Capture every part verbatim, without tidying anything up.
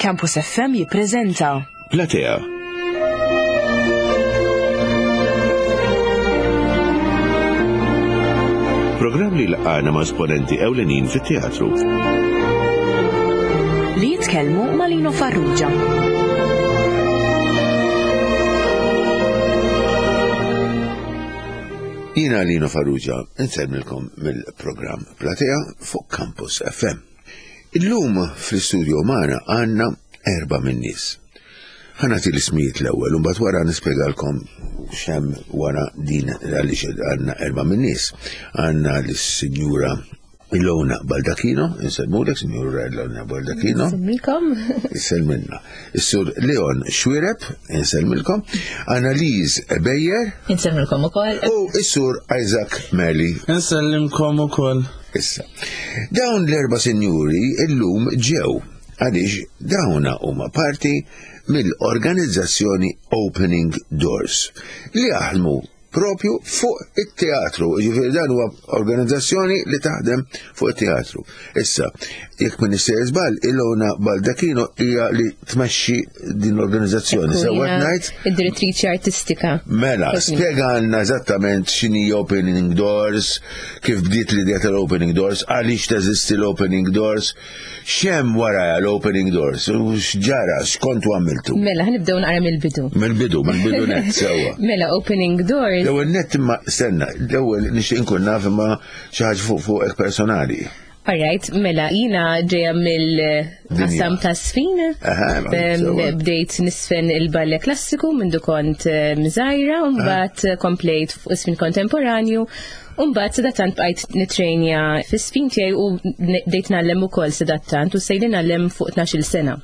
Campus F M jippreżenta Platea. Programm li laqana ma' esponenti ewlenin fit-teatru. Li jitkellmu ma' Lino Farrugia. Jiena Lino Farrugia, insellmilkom mill-programm Platea fuq Campus F M. Illum fl-istudio magħna għandna erba' min-nies. Ħa nagħti l-ismijiet l-ewwel u mbagħad wara nispjegalkom x'hemm wara din, għaliex għandna erba' min-nies. Għandna lis-Sinjura Ilona Baldacchino, insellmulek, Sinjura Ilona Baldacchino. Insellmilkom. Insellmilna. Is-Sur Leon Xuereb, insellmilkom. Annalise Beyer. Insellmilkom ukoll. U is-Sur Isaac Meli. Insellimkom ukoll. Issa, dawn l-erba' sinjuri illum ġew għaliex dawna huma parti mill-organizzazzjoni Opening Doors li jaħdmu propju fuq it-teatru. Ġifieri dan huwa organizzazzjoni li taħdem fuq it-teatru. Issa, jekk minn żball, Ilona Baldacchino hija li tmexxi din l-organizzazzjoni. Sewwa ngħid? Id-direttriċi artistika. Mela, spjegalna eżattament x'inhi Opening Doors, kif bdiet l-idea tal-Opening Doors, għaliex teżisti l-Opening Doors, x'hemm wara l-Opening Doors, u x'ġara, x'kontu għamiltu. Mela, ħa nibdew naqra mill-bidu. Mill-bidu, mill-bidu net, sewwa. Mela, Opening Doors. L-ewwel net, imma stenna, l-ewwel nixtieq inkun naf imma xi ħaġa fuq fuqek personali. Alright, mela, jiena ġeja mill-qasam ta' żfin. Aha, sewwa. Bdejt niżfen il-ballet klassiku minn kont eh, żgħira, mbagħad komplejt fuq żfin kontemporanju. Mbagħad sadattant bqajt nitrejnja fi-żfin tiegħi u bdejt ngħallem ukoll sadattant u sejli ngħallem fuq tnax-il sena.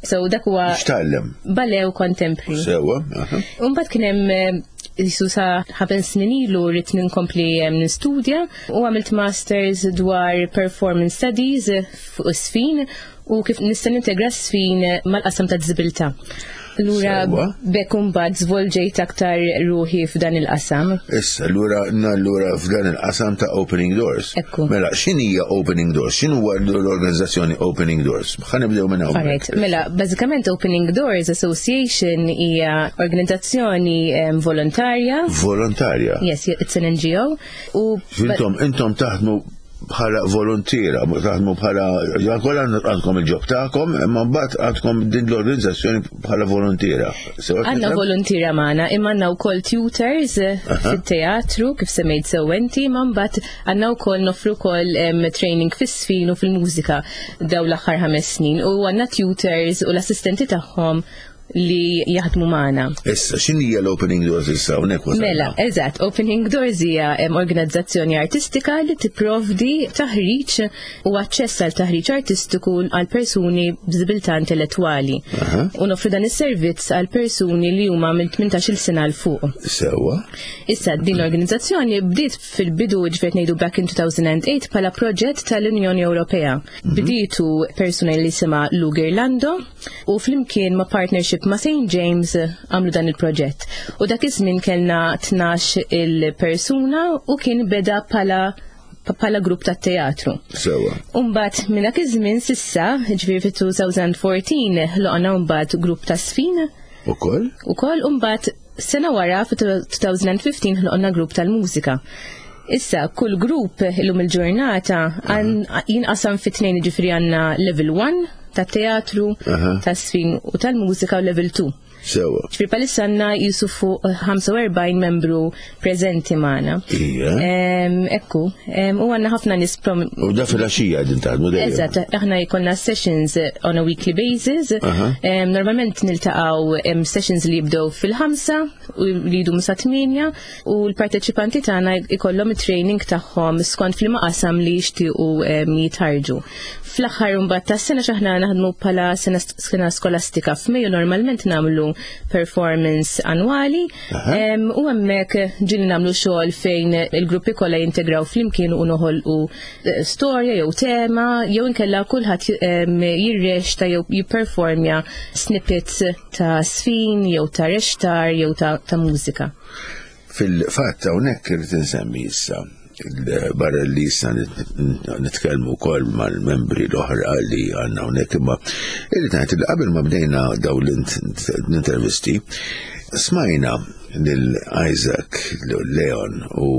So dak huwa X'tgħallem? Ballet u contemporary. Sewwa, aha. Mbagħad kien hemm eh, jisu sa ħames snin ilu rrid ninkompli eh, nistudja u għamilt masters dwar performance studies fuq żfin u kif nista' nintegra żfin mal-qasam ta' diżabilità. Lura Sewwa. bekk imbagħad żvolġejt aktar ruħi f'dan il-qasam. Issa, lura, allura f'dan il-qasam ta' Opening Doors. Ekku. Mela, x'inhija Opening Doors? X'inhu huwa l-organizzazzjoni Opening Doors? Ħa nibdew minn hawn. Alright, mela, bażikament Opening Doors Association hija organizzazzjoni em, volontarja. Volontarja. Yes, it's an N G O. U Intom, intom taħdmu bħala volontiera, taħdmu bħala, kollha għandkom il-job tagħkom, imma mbagħad għandkom din l-organizzazzjoni bħala volontiera. Sewa Għandna nifhem? volontiera magħna, imma għandna wkoll tutors eh, fit-teatru, kif semmejt sewwenti, ma mbagħad għandna wkoll noffru wkoll em, training fis-żfin u fil-mużika daw l-aħħar ħames snin. U għandna tutors u l-assistenti tagħhom li jaħdmu magħna. Issa, x'inhija l-Opening Doors issa hawnhekk wasalna? Mela, eżatt, Opening Doors hija em, organizzazzjoni artistika li tipprovdi taħriġ u aċċess għal taħriġ artistiku għal persuni b'diżabilità intellettwali. U noffru dan is-servizz għal persuni li huma minn tmintax-il sena 'l fuq. Sewwa. Issa, din l-organizzazzjoni bdiet fil-bidu, ġifieri ngħidu back in two thousand and eight, bħala proġett tal-Unjoni Ewropea. Bdietu persuna li jisimha Lou Girlando u flimkien ma' partnership ma' Saint James għamlu dan il-proġett. U dak iż-żmien kellna tnax il-persuna u kien beda bħala bħala grupp ta' teatru. Sewwa. Umbagħad minn dak iż-żmien s'issa, ġifieri fit-elfejn u erbatax, ħloqna mbagħad grupp ta' żfin Ukoll? ukoll, umbagħad sena wara fit-elfejn u ħmistax ħloqna grupp tal-mużika. Issa, kull grupp illum il-ġurnata għan- jinqasam fi tnejn, ġifieri għandna level one ta' teatru, Aha. ta' żfin u tal-mużika u level two. Sewwa. Ġifieri bħalissa għandna jisu fuq ħamsa u erbgħin membru preżenti magħna. Ija. Em, Ekku, em, u għandna ħafna nies prom- U da fil-għaxija din taħdmu dejjem. Eżatt, aħna jkollna sessions on a weekly basis. Aha. Um, normalment niltaqgħu um, sessions li jibdew fil-ħamsa u li jdumu sa tmienja u l-parteċipanti tagħna ikollhom it-training tagħhom skont fil qasam li jixtiequ um, jitħarġu. Fl-aħħar mbagħad tas-sena, x'aħna naħdmu bħala sena, sena skolastika, f'Mejju normalment nagħmlu performance annwali um, u hemmhekk ġieli nagħmlu xogħol fejn il-gruppi kollha jintegraw flimkien u noħolqu eh, storja jew tema jew inkella kulħadd em, jirreċta jew jipperformja snippets ta' żfin jew ta' reċtar jew ta', ta' mużika. Fil-fatt hawnhekk irid insemmi issa Barra li issa nitkellmu wkoll mal-membri l-oħra li għandna hawnhekk, imma irrid ngħid li qabel ma bdejna dawn l-intervisti, smajna lil Isaac, Leon u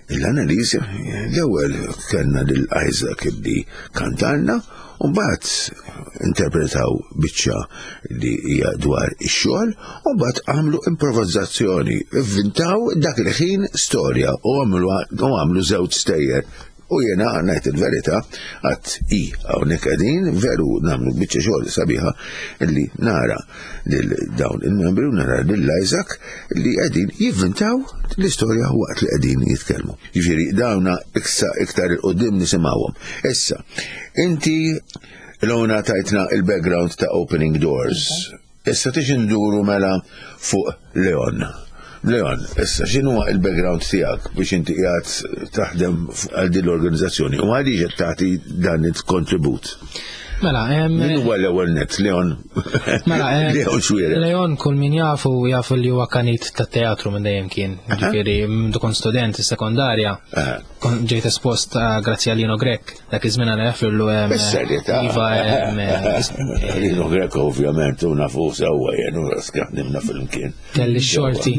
l-Annalise. L-ewwel kellna lil Isaac li kantalna u mbagħad interpretaw biċċa li hija dwar ix-xogħol u mbagħad għamlu improvizzazzjoni, ivvintaw dak il-ħin storja u għamlu u għamlu żewġ stejjer. U jena ngħid il-verità, għat i hawnhekk qegħdin veru nagħmlu biċċa xogħol sabiħa li nara lil dawn il-membri u nara lil Isaac li qegħdin jivvintaw l-istorja waqt li qegħdin jitkellmu. Jiġifieri dawna iksa iktar 'il quddiem nisimgħuhom. Issa, inti Lona tajtna il-background ta' Opening Doors. Issa tix nduru mela fuq Leon. Leon, issa x'inhu il-background tiegħek biex inti qiegħed taħdem għal din l-organizzazzjoni u għaliex qed tagħti dan il-kontribut? Mela, em, Min huwa l-ewwel net, Leon? Mela, em, Leon Xwire. Leon kull min jafu jafu li huwa kanit ta' teatru minn dejjem kien. Ġifieri, minn kont student sekondarja, kon ġejt espost eh, grazzi għal Lino Grek, dak iż-żmien għana jaffirlu em, Bis-serjetà. Iva, em, eh, Lino Greco ovvjament u nafu sewwa jien u ħdimna flimkien. Kelli xorti,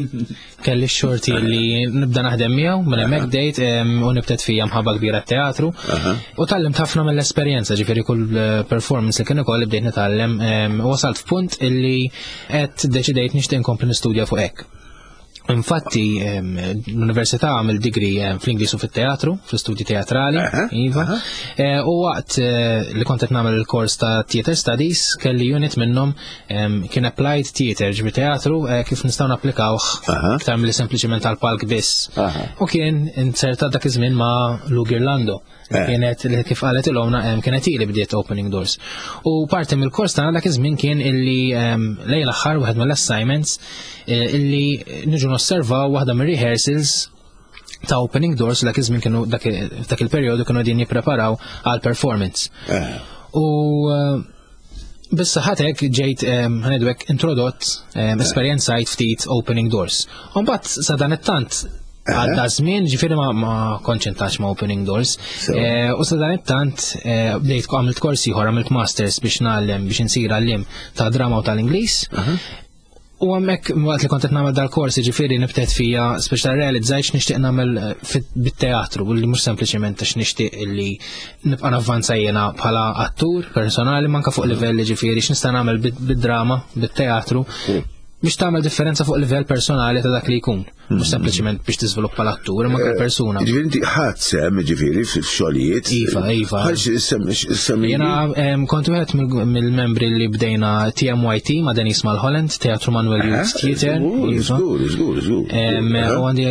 kelli xorti li nibda naħdem miegħu, minn hemmhekk bdejt em, u nibtet fija mħabba kbira teatru. U tgħallimt ħafna mill-esperjenza, ġifieri kull eh, performance li kien ukoll bdejt nitgħallem em, u wasalt f'punt illi qed deċidejt nixtieq inkompli nistudja fuq hekk. Infatti, em, l-università għamil degree em, fl-Ingliż u fit-teatru, fl-istudji teatrali, Aha, iva. Eh, U waqt eh, li kont qed nagħmel il-kors ta' Theater Studies, kelli unit minnhom em, kien Applied Theater, ġifieri teatru eh, kif nistgħu napplikawh Aha. iktar milli sempliċiment għal palk biss. Aha. U kien inserta dak iż-żmien ma' Lou Girlando. Eh. Kienet li kif qalet il-omna em, kienet ili bdiet Opening Doors. U parti mill-kors tagħna dak iż-żmien kien illi em, lejn l-aħħar wieħed mill-assignments eh, illi niġu nosservaw waħda mir-rehearsals ta' Opening Doors. Dak iż-żmien kienu dak dak il-perjodu kienu qegħdin jippreparaw għal performance. Eh. U eh, bissa ħatek ġejt ħa ngħidu hekk introdott em, esperjenzajt ftit Opening Doors. Mbagħad sa dan it-tant għadda żmien, ġifieri ma, ma kontx in touch ma' Opening Doors. So. Eh, U sa dan it-tant eh, bdejt għamilt kors ieħor, għamilt masters biex ngħallem, biex insir għallim ta' drama u tal-Ingliż. U hemmhekk waqt li kont qed nagħmel dal-kors, ġifieri nibtet fija speċa realizzajt x'nixtieq nagħmel eh, fit- bit-teatru, u li mhux sempliċement għax nixtieq li nibqa' navvanza jiena bħala attur personali, manka fuq livell, ġifieri x'nista' nagħmel bid- bid-drama, bit-teatru biex tagħmel differenza fuq livell personali ta' dak li jkun. Mhux sempliċement biex tiżviluppa l-attur, imma anke l-persuna. Ġifieri inti ħadt sehem ġifieri f'xogħlijiet. Iva, iva. Ħalx semmi. Jena em, kont wieħed mill- mill-membri li bdejna T M Y T ma' Denise Mulholland, Teatru Manuel Youth Theatre. Iva. Żgur, żgur, żgur. Em, U għandi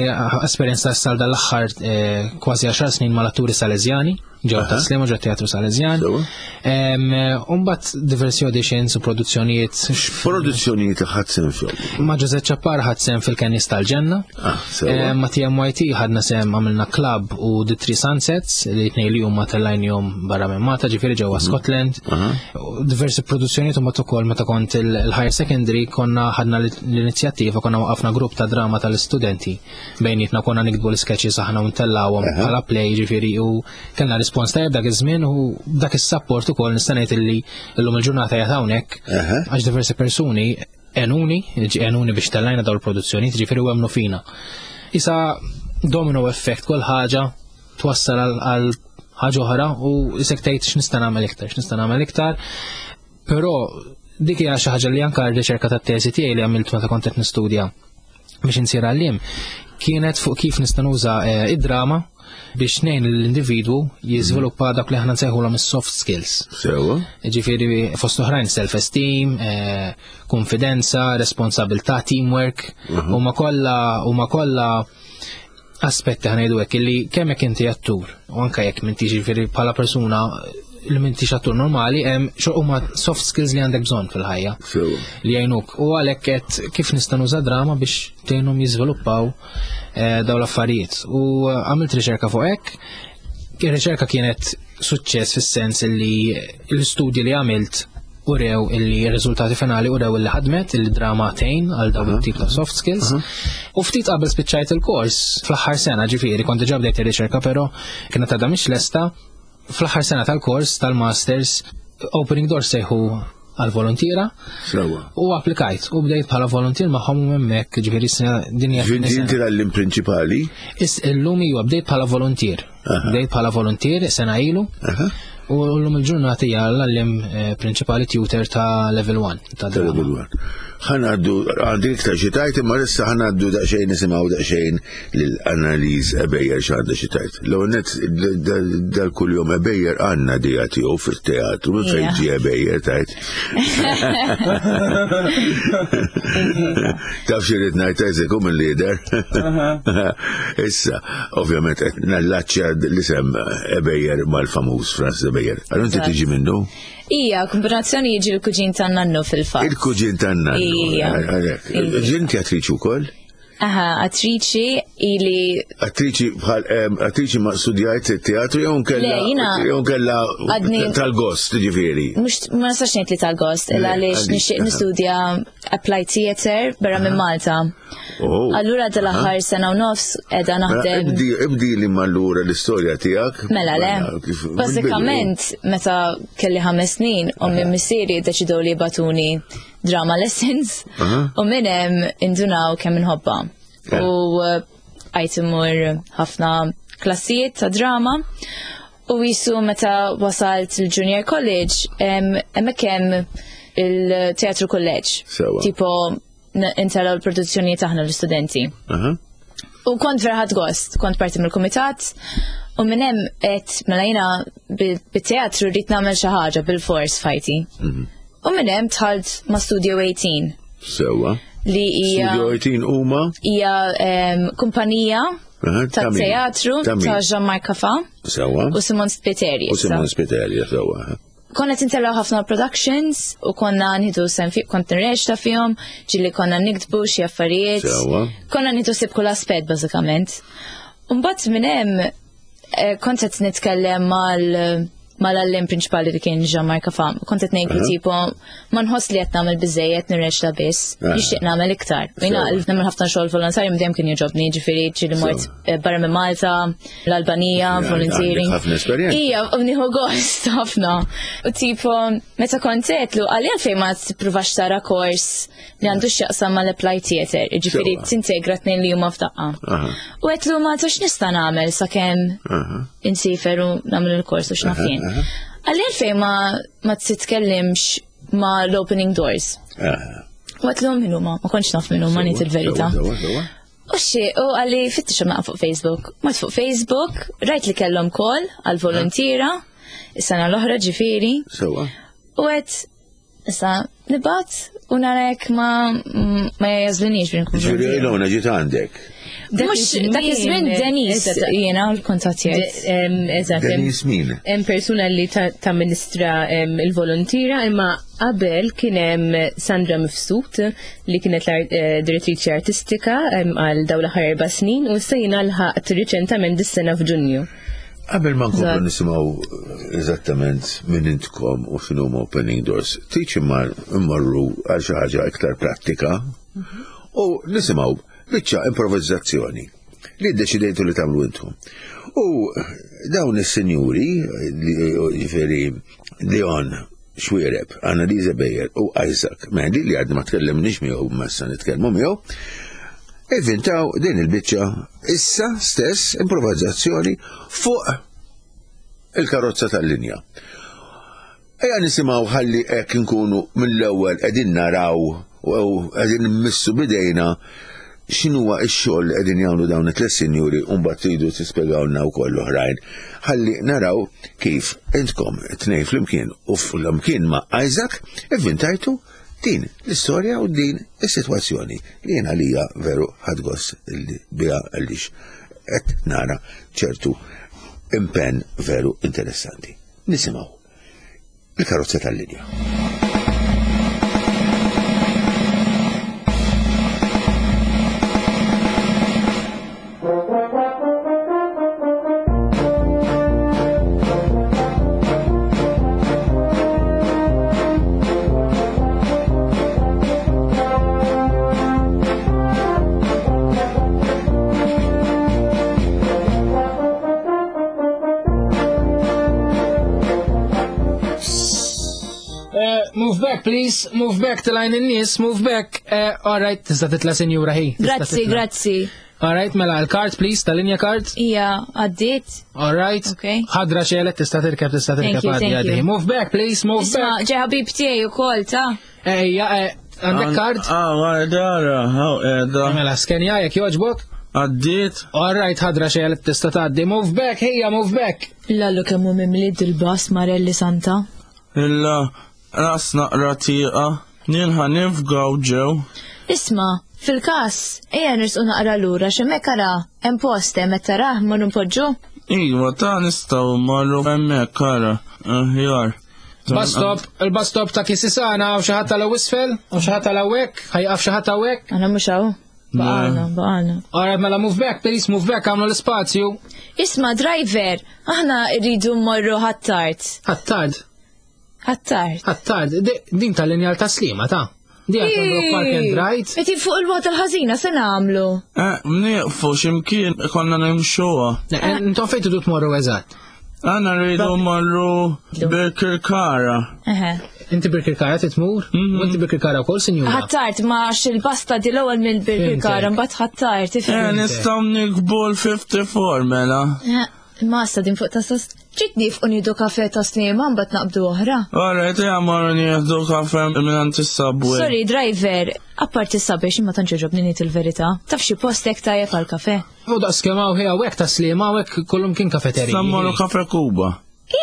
esperjenza sal dal-aħħar eh, kważi għaxar snin mal-atturi Salezjani, ġew ta' Sliema, ġew Teatru Salezjan. Sewa. Umbat diversi auditions u produzzjonijiet. Produzzjonijiet li ħadt sehem fihom. Ma' Jose Ċappar ħadt sehem fil-Kennis tal-Ġenna. Ah, sewa. Em, Ma' T M Y T ħadna sehem, għamilna Club u The Three Sunsets li tnej li huma tellajnihom barra minn Malta, ġifieri ġewwa Scotland. U diversi produzzjonijiet u mbagħad ukoll meta kont il- il-higher secondary konna ħadna l-inizjattiva, konna waqafna grupp ta' drama tal-istudenti bejnietna, konna niktbu l-sketches aħna u ntellawhom bħala play, ġifieri u kellna rispons tajjeb dak iż-żmien u dak is-support ukoll nista' ngħid illi llum il-ġurnata qiegħed hawnhekk Aha. għax diversi persuni għenuni, għenuni biex tellajna daw il-produzzjoni, ġifieri u emmnu fina. Issa domino effect, kull ħaġa twassal għal- għal ħaġa oħra u isek tgħid x'nista' nagħmel iktar, x'nista' nagħmel iktar. Però dik hija xi ħaġa li anke r-riċerka tat-teżi tiegħi li għamilt meta kont qed nistudja biex insir għallim kienet fuq kif nista' nuża eh, id-drama biex ngħin l-individwu jiżviluppa dak li aħna nsejħulhom is-soft skills. Sewa. Ġifieri fost oħrajn self-esteem, eh, konfidenza, responsabilità, teamwork, u ma kollha u ma kollha aspetti, ħa ngħidu hekk, illi kemm jekk inti attur u anke jekk m'intix, ġifieri bħala persuna li m'intix attur normali, hemm xo huma soft skills li għandek bżonn fil-ħajja Sewa. li jgħinuk. U għalhekk qed kif nista' nuża drama biex tgħinhom jiżviluppaw eh, dawn l-affarijiet. U eh, għamilt riċerka fuq hekk. Ir-riċerka kienet suċċess fis-sens li l-istudji li għamilt urew illi r-riżultati finali urew illi ħadmet il-drama tgħin għal dawn it-tip ta' soft skills. U ftit qabel spiċċajt il-kors fl-aħħar sena, ġifieri kont diġà bdejt ir-riċerka, però kienet għadha mhix lesta. Fl-aħħar sena tal-kors tal-masters Opening Doors sejħu għal volontiera Sewwa. u applikajt u bdejt bħala volontier magħhom u hemmhekk, ġifieri sena din hija Ġinti tieni sena. inti l-għallim prinċipali? Is illum iwa bdejt bħala volontier. Bdejt bħala volontier sena ilu. U llum il-ġurnata hija l-għallim eh, prinċipali tutor ta' level one ta' Ta' drama. level one. Ħa ngħaddu, għandi iktar xi tgħid, imma issa ħa ngħaddu daqsxejn nisimgħu daqsxejn lil Annalise Ebejer x'għandha xi tgħid. L-ewwel nett dal-kuljum Ebejer għandna dija tiegħu fit-teatru, minn fejn Ija. ġie Ebejer tgħid. Taf xi rrid ngħid Isaac hu mill-lider. Issa, ovvjament qed nallaċċja l-isem Ebejer mal-famuż Francis Ebejer. Allura inti tiġi minnu? Ija, kombinazzjoni jiġi l-kuġin tan-nannu fil-fatt. Il-kuġin tan-nannu. Ija. Għalhekk. Ija. Ġinti attriċi wkoll? Aha, attriċi ili Attriċi bħal em, attriċi ma studjajt teatru jew nkella Le, jina jew nkella għadni- tal-gost ġifieri. mux ma nistax ngħid li tal-gost, illa Le, għaliex għaliex, nixtieq aha. nistudja applied theater barra minn Malta. Oh. Allura dal-aħħar sena u nofs qiegħda Mela, naħdem. Ibdi ibdi li mallura l-istorja tiegħek. Mela le. kif- Bażikament meta kelli ħames snin, ommi missieri ddeċidew li jibagħtuni drama lessons Aha. u minn hemm indunaw kemm inħobbha. Ja. U eh, għajt immur ħafna klassijiet ta' drama u jisu meta wasalt il-junior college em, hemmhekk hemm il-teatru college. Sewa. Tipo n- intellgħu l-produzzjoni taħna l-istudenti. Aha. U kont vera ħadt gost, kont parti mill-kumitat u minn hemm qed mela jiena bil- bit-teatru rrid nagħmel xi ħaġa bil-fors fajti. U minn hemm dħalt ma' Studio eighteen Sewa. li hija Studio eighteen huma hija em, kumpanija Aha, ta' ta' min? teatru Ta' min? ta' Jean-Marc Cafà Sewa. u Simon Spiteri. U issa. Simon Spiteri, sewa. Konna tintellgħu ħafna productions u konna nieħdu sehem fi, kont nirreċta fihom, ġieli konna niktbu xi affarijiet. Sewa. Konna nieħdu ħsieb kull aspett bażikament. Mbagħad minn hemm eh, kont qed nitkellem mal mal-għallim prinċipali li kien Jean-Marc Cafà. Kont qed ngħidlu Aha. tipo ma nħoss li qed nagħmel biżejjed nirreċta biss, Aha. nixtieq nagħmel iktar. Jiena Sewa. nagħmel ħafna xogħol volontarju dejjem kien jogħġobni, ġifieri ġieli mort Sewa. eh, barra minn Malta, l-Albanija, Għandek volunteering. ħafna esperjenza. Ija, u nieħu gost ħafna. U tipo, meta kont għedtlu, għalli għalfejn ma tippruvax tara kors li għandu x'jaqsam mal-applied theater, ġifieri Sewa. tintegra tnejn li huma f'daqqa. Aha. U għedtlu ma tux nista' nagħmel sakemm Aha. insifer u nagħmel il-kors u x'naf jien. aha. Għalli għalfejn ma ma titkellimx ma l-opening doors. Aha. U għedtlu min huma, ma kontx naf min huma ngħid il-verità. Sewa, sewa. U xi, u għalli fittix naqra fuq Facebook. Mort fuq Facebook, rajt li kellhom call għal volontiera, is-sena l-oħra ġifieri, Sewa. u għedt issa nibgħat u narek ma ma jagħżlunix biex nkun Ġifieri volontiera. Ilona ġiet għandek. Mhux dak iż-żmien Denise Eżatt. jiena l-kontattjajt. Em, Eżatt. em, Denise min? Hemm persuna li ta' tamministra em, il-volontira imma qabel kien hemm Sandra Mifsud li kienet l-direttriċi artistika em, għal dawn l-aħħar erba' snin u issa jiena lħaqt riċentament dis-sena f'Ġunju. Qabel ma nkomplu Eżatt. nisimgħu eżattament minn intkom u x'inhu Opening Doors, tiċ immorru għal xi ħaġa iktar prattika u nisimgħu biċċa improvizzazzjoni li ddeċidejtu li tagħmlu intom. U dawn is-sinjuri, li- ġifieri Leon Xuereb, Annalisa Bejer u Isaac Mendy li għadna ma tkellimniex miegħu ma issa nitkellmu miegħu, ivvintaw din il-biċċa issa stess improvizzazzjoni fuq il-karozza tal-linja. Ejja nisimgħu ħalli hekk inkunu mill-ewwel qegħdin naraw u qegħdin immissu bidejna x'inhuwa x-xogħol li qegħdin jagħmlu dawn it-tliet sinjuri u mbagħad tridu tispjegawlna wkoll oħrajn. Ħalli naraw kif intkom tnejn flimkien u flimkien ma' Isaac ivvintajtu din l-istorja u din is-sitwazzjoni li jiena għalija veru ħadt gost li biha għaliex qed nara ċertu impenn veru interessanti. Nisimgħu il-karozza tal-linja. Thank Move back, please. Move back, tilajn in-nies, move back. Eh, all right, tista' titla' sinjura hi. Tista' Grazzi, titla'. grazzi. All right, mela, l-card, please, tal-linja card. Ija, għaddit. All right. Okay. Ħadra xelet, tista' tirkeb, tista' Thank tirkeb you, għaddi thank għaddi. you. Move back, please, move Isma, back. ġe ħabib tiegħi ukoll ta' Ejja, eh, għandek card? Ah, għadara, haw edha. Mela, skenja jekk jogħġbok. Għaddit. All right, ħadra xelet, tista' tgħaddi. Move back, ejja, move back. Lallu kemmu mimli dil-bas Marelli Santa. Illa, ras naqra tieqa. Nilħa nifgaw ġew. Isma, fil-kas, ejja nirsqu naqra lura x'hemmhekk ara hemm post hemm qed tarah ma npoġġu. Iva, ta' nistaw marru hemmhekk ara. Aħjar. Bus stop, il-bus stop ta' Kisisana, u xi ħadd tal isfel, u xi ħadd tal hawnhekk, ħajqaf xi ħadd hawnhekk. Aħna mhux hawn. Baqalna, baqalna. All right, mela move back, please, move back, għamlu l-ispazju. Isma, driver, aħna rridu mmorru ħattart. Ħattard, Ħattart. ħattard, di- din tal-linja ta' Slima ta' Di għal park and ride. Eti fuq il-wot il-ħażina se nagħmlu. Eh, nieqfu x'imkien konna nimxuha. Ne, Intom fejn tridu tmorru eżatt? Għana rridu marru Birkirkara. Eħe. Inti Birkirkara titmur? U inti Birkirkara wkoll, sinjura? Ħattart ma il-basta di l-ewwel minn Birkirkara Fimtek. mbagħad ħattart Eh, ifhem. nistaw nikbu l-ħamsa u ħamsin mela. Eh, Ma sta din fuq ta' sas. Ġiet nifqu nieħdu kafe ta' snima mbagħad naqbdu oħra. Alright, ja marru nieħdu kafe minn is-subway. Sorry, driver, apparti s-sabiex imma tantx ġobni ngħid il-verità. Taf xi postek tajjeb għal kafe. U daqs kemm hawn ħija hawnhekk ta' Slima hawnhekk kullum kien kafeteriji. Issa mmorru kafe Kuba.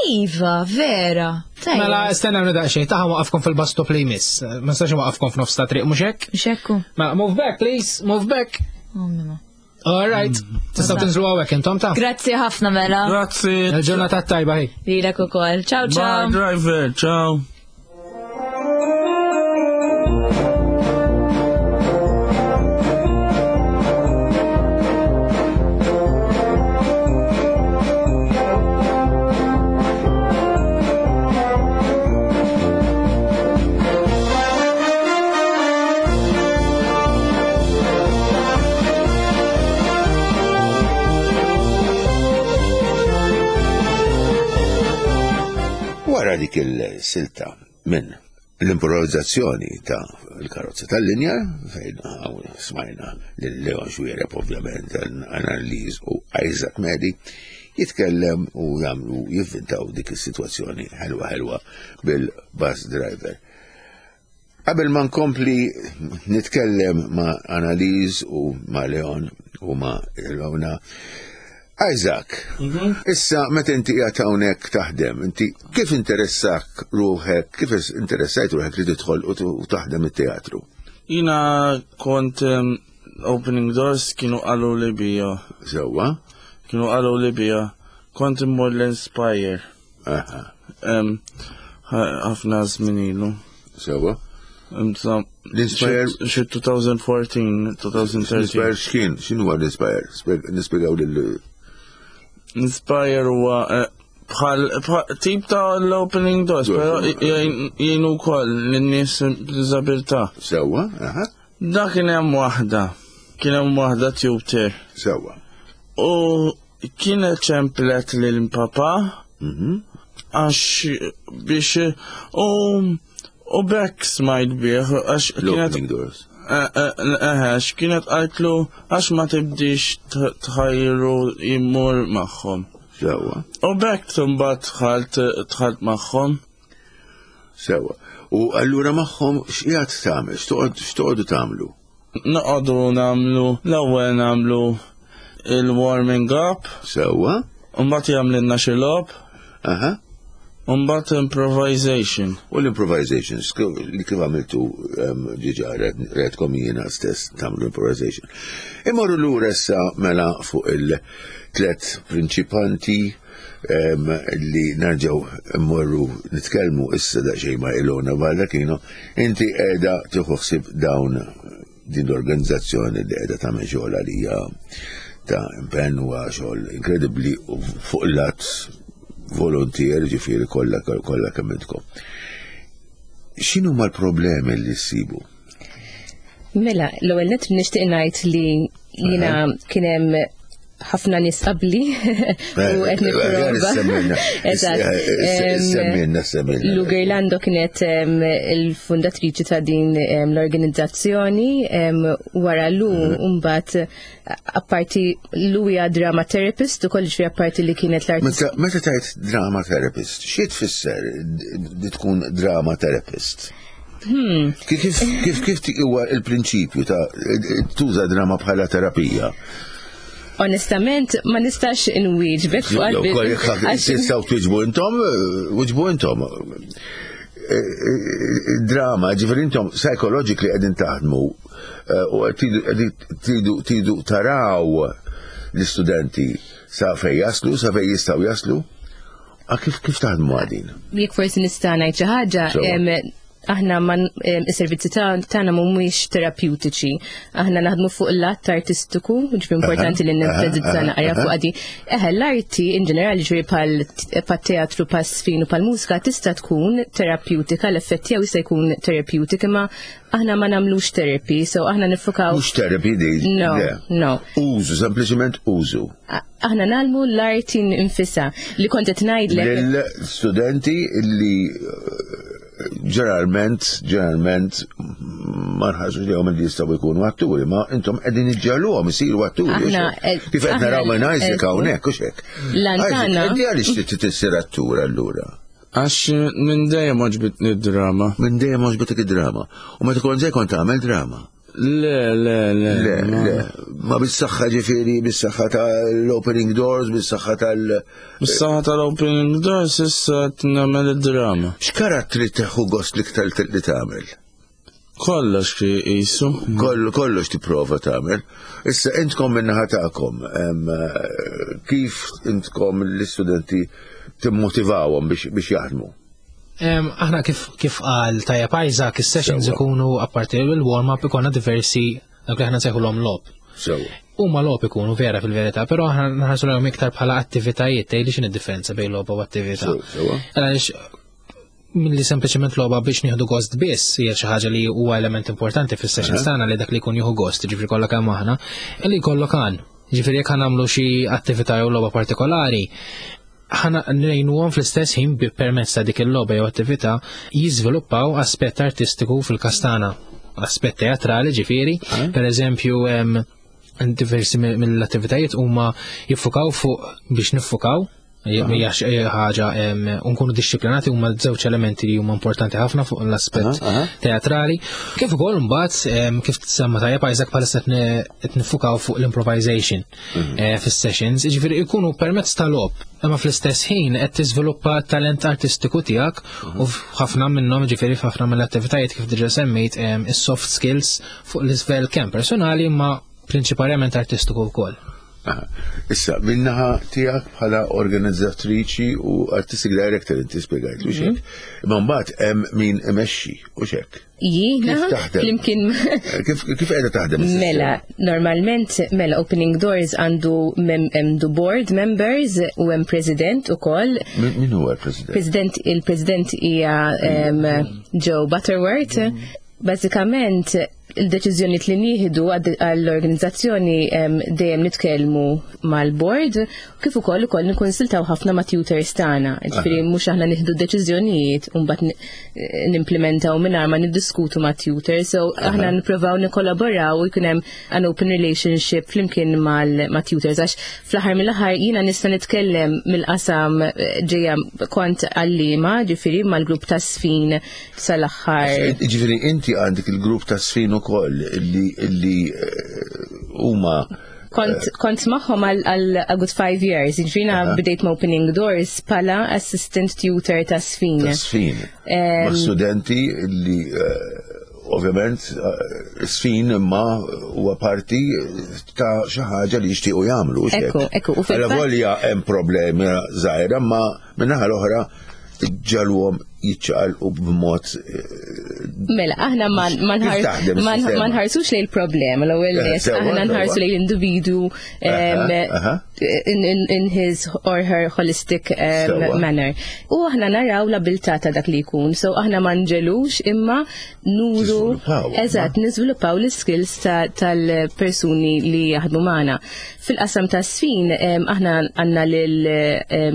Iva, vera. Tajjeb. Mela, stenna minn daqsxejn, taħ waqafkom fil-bus stop li jmiss. Ma nistax waqafkom f'nofs ta' triq mhux hekk? Xekku. Mela, move back, please, move back. Oh, mima. All right. Tistgħu tinżlu hawnhekk intom ta' Grazzi ħafna mela. Grazzi. Il-ġurnata tajba hi. Lilek ukoll. Ciao Bye, ciao. driver. Ciao. Wara dik il-silta minn l-improvizzazzjoni ta' l-karozza tal-linja, fejn hawn smajna lil Leon Xuereb ovvjament, Annalise u Isaac Medi, jitkellem u jagħmlu jivvintaw dik is-sitwazzjoni ħelwa ħelwa bil-bus driver. Qabel ma nkompli nitkellem ma' Annalise u ma' Leon u ma' Ilona, Isaac, issa meta inti qiegħed hawnhekk taħdem, inti kif interessak ruħek, kif interessajt ruħek li tidħol u t- u taħdem it-teatru? Jina kont um, Opening Doors kienu qalu li bija. Sewwa? Kienu qalu li bija. Kont immur l-Inspire. Aha, Um, ħafna żmien ilu. sewwa. Imsa- L-Inspire- Xi elfejn u erbatax, elfejn u tlettax. L-Inspire x'kien? X'inhu huwa l-Inspire? Spjeg- Nispjegaw lil Inspire huwa eh, bħal bħal- tip ta' l-Opening Doors, Doors, però eh. jgħinu wkoll lin-nies b'diżabilità. sewwa, aha, Da kien hemm waħda, kien hemm waħda tutor. sewwa. U kienet ċemplet lil papa Mhm. għax biex u u bekk smajt bih għax kienet L-Opening Doors. Eħex, kienet għajtlu għax ma tibdix t- tħajru jimmur magħhom. Sewwa, U bekk imbagħad dħalt dħalt magħhom. sewwa. U allura magħhom x'qiegħed tagħmel? X'toqgħod x'toqgħodu tagħmlu? Noqogħdu nagħmlu l-ewwel nagħmlu il-warming up, Sewwa? u mbagħad jagħmlilna xi logħob, Aha. u mbagħad improvisation. U l-improvisations, li kif għamiltu em, diġà rajtkom jiena stess tagħmlu improvisation. Immorru lura issa mela fuq il-tlet prinċipanti em, li nerġgħu immorru nitkellmu issa daqsxejn ma' Ilona Baldacchino, inti qiegħda tieħu ħsieb dawn din l-organizzazzjoni li qiegħda tagħmel xogħol għalija ta' impenn huwa xogħol inkredibbli u fuq il-lat volontier ġifieri kollha kollha kemm intkom. X'inhu ma l-problemi li ssibu? Mela, l-ewwel nett nixtieq ngħid li jiena kien hemm Ħafna nies qabli u qed nipprova. Eżatt. Semmilna, semmilna. Lou Gerlando kienet il-fundatriċi ta' din l-organizzazzjoni. Wara Lou mbagħad, apparti Lou hija drama therapist ukoll, ġifieri apparti li kienet l-artist. Meta tgħid drama therapist, xi tfisser li tkun drama therapist? Hmm. Kif kif kif huwa il-prinċipju ta' tuża drama bħala terapija? Onestament, ma nistax inwieġbek fuq. Tistgħu twieġbu intom, wieġbu intom. Drama, ġifieri intom psychologically qegħdin taħdmu u tridu tridu taraw l-istudenti sa fej jaslu, sa fej jistgħu jaslu. Kif kif taħdmu għadin? Jekk forsi nista' ngħid xi ħaġa, aħna man is-servizzi tagħna mhumiex terapeutiċi. Aħna naħdmu fuq l-att artistiku, ġifieri importanti li nenfasizza naqra fuq għadi. Eħe, l-arti in ġenerali, ġifieri bħal teatru, bħaż-żfin u bħal mużika, tista' tkun terapeutika, l-effett tiegħu jista' jkun therapeutic, imma aħna ma nagħmlux therapy, so aħna nifukaw. Mhux therapy di. No, no. Użu, sempliċement użu. Aħna nagħmlu l-arti nfisha li kont qed ngħidlek. Lill-studenti li ġeneralment, ġeneralment ma nħarsu li għom li jistgħu jkunu atturi, ma intom qegħdin iġġegħluhom isiru atturi. Kif qed naraw minn Isaac hawnhekk, u hekk. Lantana. Inti għaliex trid issir attur allura? Għax minn dejjem għoġbitni drama. Minn dejjem għoġbitek id-drama. U meta kont żgħir kont tagħmel drama? Le, le, le. Le, le. Ma bis-saħħa ġifieri, bis-saħħa tal-Opening Doors, bis-saħħa tal- Bis-saħħa tal-Opening Doors issa nagħmel id-drama. X'karattri tieħu gost l-iktar li tagħmel? Kollox fi qisu. Kollu, kollox tipprova tagħmel. Issa intkom min-naħa tagħkom, kif intkom l-istudenti timmotivawhom biex biex jaħdmu? Aħna kif kif qal tajjeb Isaac, is-sessions ikunu, apparti il-warm-up, ikonna diversi dak li aħna nsejħulhom logħob. Sewa. Huma logħob ikunu vera fil-verità, però aħna nħarsu lejhom iktar bħala attivitajiet. Tgħidli x'inhi d-differenza bejn logħba u attività. Sewa. Għaliex milli sempliċement logħba biex nieħdu gost biss hija xi ħaġa li huwa element importanti fis-sessions tagħna, li dak li jkun jieħu gost, ġifieri kollha kemm aħna, li jkollok għan. Ġifieri jekk nagħmlu xi attività jew logħba partikolari, ħana ngħinuhom fl-istess ħin bi permezz ta' dik il-logħba jew attività jiżviluppaw aspett artistiku fil-kastana, aspett teatrali ġifieri, per eżempju diversi mill-attivitajiet huma jiffukaw fuq biex niffukaw, hija ħaġa nkunu disċiplinati, huma żewġ elementi li huma importanti ħafna fuq l-aspett teatrali. Kif ukoll mbagħad, kif tsemma tajjeb Isaac, bħalissa qed nifukaw fuq l-improvisation mhm. fis-sessions, jiġifieri jkunu permezz tal-logħob, imma fl-istess ħin qed tiżviluppa talent artistiku tiegħek u ħafna minnhom, ġifieri f'ħafna mill-attivitajiet, kif diġà semmejt, is-soft skills fuq l-livell kemm personali imma prinċipalment artistiku wkoll. Issa, min-naħa tiegħek bħala organizzatriċi u artistic director, inti spiegajt u hekk. Imma mbagħad hemm min imexxi u hekk. Jiena, flimkien. Kif kif qiegħda taħdem? Mela, normalment, mela, Opening Doors għandu għandu board members u hemm president ukoll. Min huwa l-president? President il-president hija Joe Butterworth. Bażikament, il-deċiżjoni li nieħdu għall-organizzazzjoni dejjem nitkellmu mal-board, kif ukoll ukoll nikkonsultaw ħafna ma' tutors tagħna. Ġifieri mhux aħna nieħdu deċiżjonijiet u mbagħad nimplementaw mingħajr ma niddiskutu ma' tutors. So aħna nippruvaw nikkollaboraw u jkun hemm an open relationship flimkien ma' tutors, għax fl-aħħar mill-aħħar jiena nista' nitkellem mill-qasam ġejja kont għallima, ġifieri mal-grupp ta' żfin sal-aħħar. Ġifieri inti għandek il-grupp ta' żfin ukoll illi illi huma Kont, kont magħhom għal a good five years, ġifieri bdejt ma' Opening Doors bħala assistant tutor ta' żfin. Ta' żfin. Ma' studenti li ovvjament żfin imma huwa parti ta' xi ħaġa li jixtiequ jagħmlu. Ekku, ekku. Alla volja hemm problemi żgħira, ma min-naħa l-oħra ġagħluhom jiċċaqalqu b'mod Mela, aħna ma nħarsux lejn il-problema l-ewwel nett, aħna nħarsu lejn l-individu in his or her holistic manner. U aħna naraw l-abilità ta' dak li jkun, so aħna ma nġelux imma nuru, eżatt, niżviluppaw l-skills tal-persuni li jaħdmu magħna. Fil-qasam ta' sfin, aħna għandna lil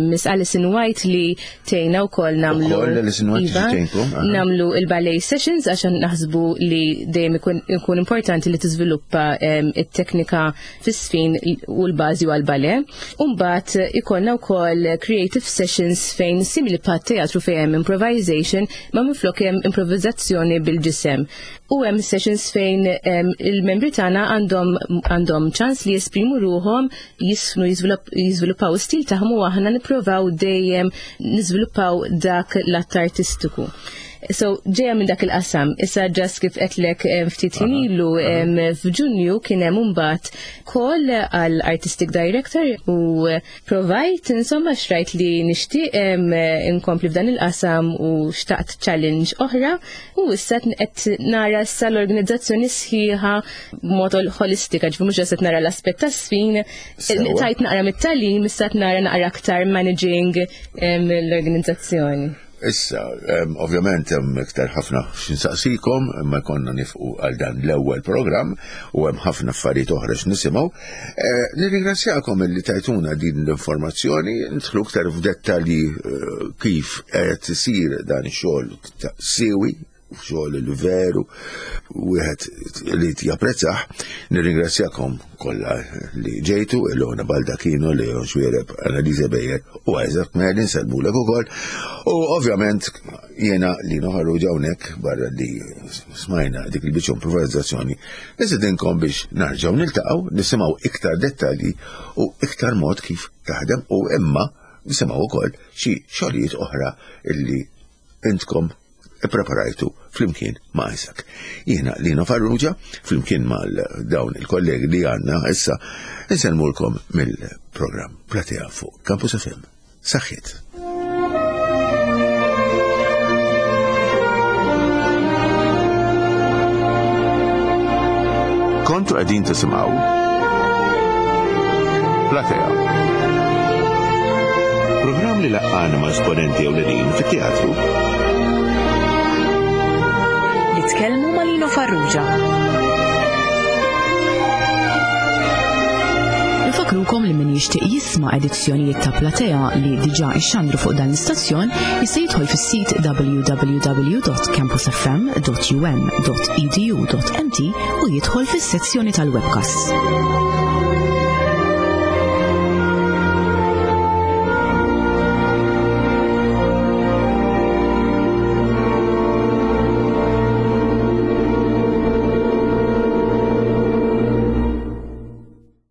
Miss Alison White li tgħinna wkoll nagħmlu nagħmlu il-ballet sessions għax naħsbu li dejjem ikun importanti li tiżviluppa it-teknika fis-sfin u l-bażi għal-ballet. U mbagħad ikollna wkoll creative sessions fejn simili bħat teatru fejn hemm improvisation ma minflok hemm improvvizazzjoni bil-ġisem. U hemm sessions fejn il-membri tagħna għandhom għandhom ċans li jesprimu ruħhom, jisfnu, jiżviluppaw stil tagħhom u aħna nippruvaw dejjem niżviluppaw dak l-att artistiku. So, ġeja minn dak il-qasam. Issa ġas kif qedlek ftit ħin ilu f'Ġunju kien hemm imbagħad call għal artistic director u provajt insomma xrajt li nixtieq inkompli f'dan il-qasam u xtaqt challenge oħra u issa qed nara issa l-organizzazzjoni sħiħa b'mod holistika, ġifieri mhux qed nara l-aspett tas-sfin, tajt naqra mit-tagħlim, issa qed nara naqra aktar managing l-organizzazzjoni. Issa, ovvjament hemm iktar ħafna x'insaqsikom, imma konna nifqu għal dan l-ewwel programm u hemm ħafna affarijiet oħra x'nisimgħu. Nirringrazzjakom illi tajtuna din l-informazzjoni, nidħlu iktar f'dettalji kif qed isir dan ix-xogħol sewi, xogħol li veru wieħed li japprezzah. Nirringrazzjakom kollha li ġejtu, Ilona Baldacchino, Leon Xuereb, Annalise Bejer u Isaac Merlin, nsellmulek ukoll. U ovvjament jiena Lino Farrugia hawnhekk barra li smajna dik il-biċċa improvizzazzjoni, nisidinkom biex narġgħu niltaqgħu, nisimgħu iktar dettalji u iktar mod kif taħdem u imma nisimgħu wkoll xi xogħlijiet oħra illi intkom ippreparajtu flimkien ma' Isaac. Jiena Lino Farrugia, flimkien mal dawn il-kollegi li għandna issa, insellmulkom mill-programm Platea fuq Campus F M. Saħħiet. Kontu qegħdin tisimgħu Platea. Programm li laqqana ma' esponenti ewlenin fit-teatru. Nitkellmu ma' Lino Farrugia. Nfakrukom li min jixtieq jisma' edizzjonijiet ta' Platea li diġà ixxandru fuq dan l-istazzjon jista' jidħol fis-sit w w w dot campus f m dot u n dot e d u dot m t u jidħol fis-sezzjoni tal-webcast.